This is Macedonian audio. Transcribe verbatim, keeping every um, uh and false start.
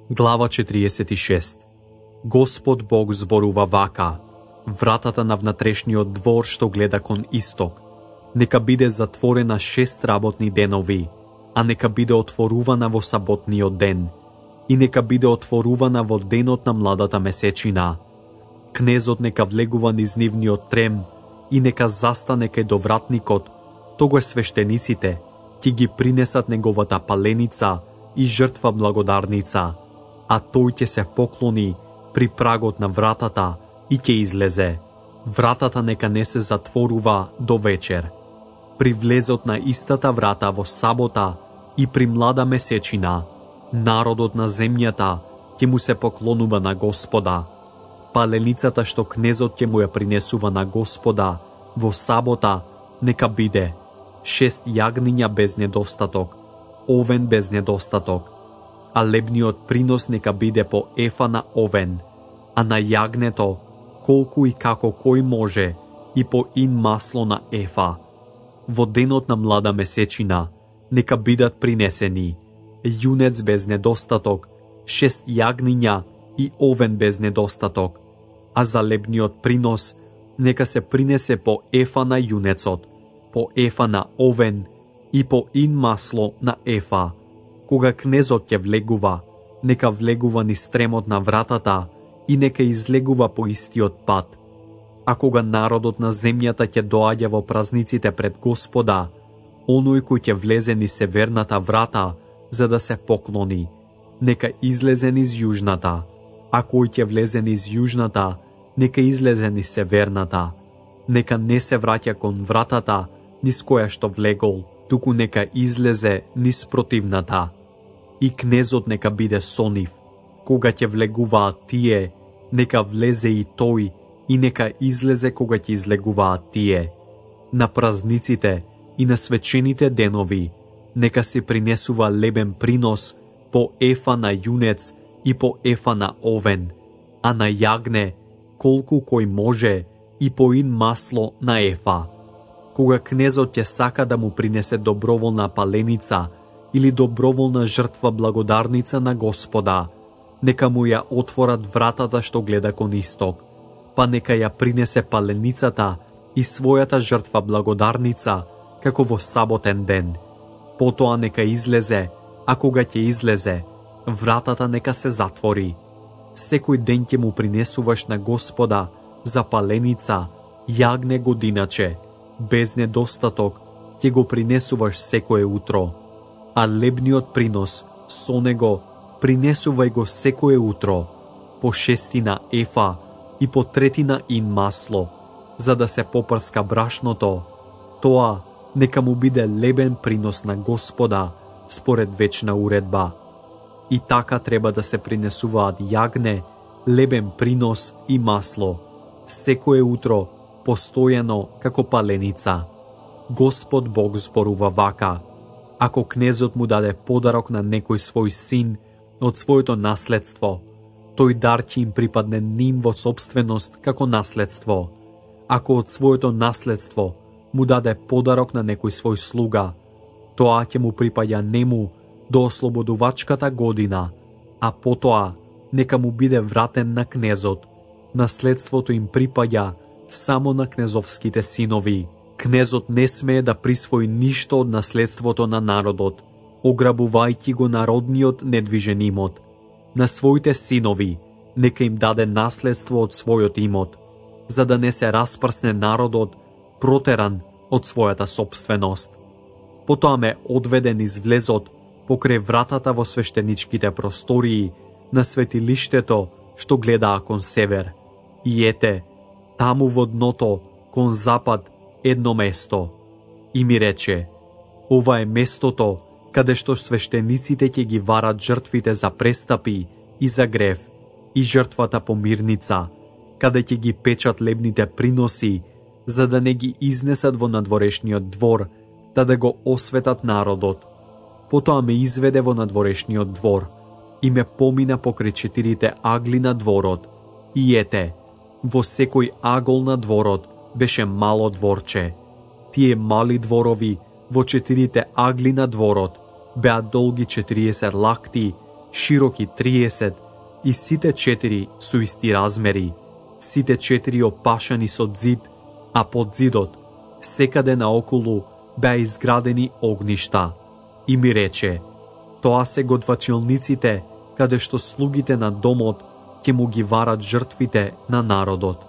Глава четириесет и шеста. Господ Бог зборува вака: вратата на внатрешниот двор што гледа кон исток нека биде затворена шест работни денови, а нека биде отворувана во саботниот ден и нека биде отворувана во денот на младата месечина. Кнезот нека влегува низ нивниот трем и нека застане кај довратникот, тогаш свештениците ќе ги принесат неговата паленица и жртва благодарница, а тој ќе се поклони при прагот на вратата и ќе излезе. Вратата нека не се затворува до вечер. При влезот на истата врата во сабота и при млада месечина, народот на земјата ќе му се поклонува на Господа. Паленицата што кнезот ќе му ја принесува на Господа во сабота нека биде шест јагниња без недостаток, овен без недостаток, а лебниот принос нека биде по ефа на овен, а на јагнето колку и како кој може и по ин масло на ефа. Во денот на млада месечина нека бидат принесени јунец без недостаток, шест јагниња и овен без недостаток, а за лебниот принос нека се принесе по ефа на јунецот, по ефа на овен и по ин масло на ефа. Кога кнезот ќе влегува, нека влегува низ тремот на вратата и нека излегува по истиот пат. А кога народот на земјата ќе доаѓа во празниците пред Господа, оној кој ќе влезе низ северната врата за да се поклони, нека излезе низ јужната, а кој ќе влезе низ јужната, нека излезе низ северната. Нека не се враќа кон вратата низ која што влегол, туку нека излезе низ противната. И кнезот нека биде со нив. Кога ќе влегуваат тие, нека влезе и тој, и нека излезе кога ќе излегуваат тие. На празниците и на свечените денови нека се принесува лебен принос по ефа на јунец и по ефа на овен, а на јагне колку кој може и по ин масло на ефа. Кога кнезот ќе сака да му принесе доброволна паленица или доброволна жртва благодарница на Господа, нека му ја отворат вратата што гледа кон исток, па нека ја принесе паленицата и својата жртва благодарница како во саботен ден. Потоа нека излезе, а кога ќе излезе, вратата нека се затвори. Секој ден ќе му принесуваш на Господа за паленица јагне годиначе, без недостаток ќе го принесуваш секое утро, а лебниот принос со него принесувај го секое утро, по шестина ефа и по третина ин масло, за да се попрска брашното. Тоа нека му биде лебен принос на Господа според вечна уредба. И така треба да се принесуваат јагне, лебен принос и масло, секое утро, постојано како паленица. Господ Бог зборува вака: ако кнезот му даде подарок на некој свој син од своето наследство, тој дар ќе им припадне ним во собственост како наследство. Ако од своето наследство му даде подарок на некој свој слуга, тоа ќе му припаѓа нему до ослободувачката година, а потоа нека му биде вратен на кнезот. Наследството им припаѓа само на кнезовските синови. Кнезот не смее да присвои ништо од наследството на народот, ограбувајќи го народниот недвижен имот. На своите синови нека им даде наследство од својот имот, за да не се распрсне народот протеран од својата собственост. Потоа ме одведе низ влезот покрај вратата во свештеничките простории на светилиштето што гледаа кон север. И ете, таму во дното, кон запад, едно место. И ми рече: ова е местото каде што свештениците ќе ги варат жртвите за престапи и за грев, и жртвата по мирница, каде ќе ги печат лебните приноси, за да не ги изнесат во надворешниот двор, да да го осветат народот. Потоа ме изведе во надворешниот двор и ме помина покрај четирите агли на дворот. И ете, во секој агол на дворот беше мало дворче. Тие мали дворови во четирите агли на дворот беа долги четириесет лакти, широки триесет и сите четири со исти размери, сите четири опашани со зид, а под зидот секаде наоколу беа изградени огништа. И ми рече: тоа се готвачилниците каде што слугите на домот ќе му ги варат жртвите на народот.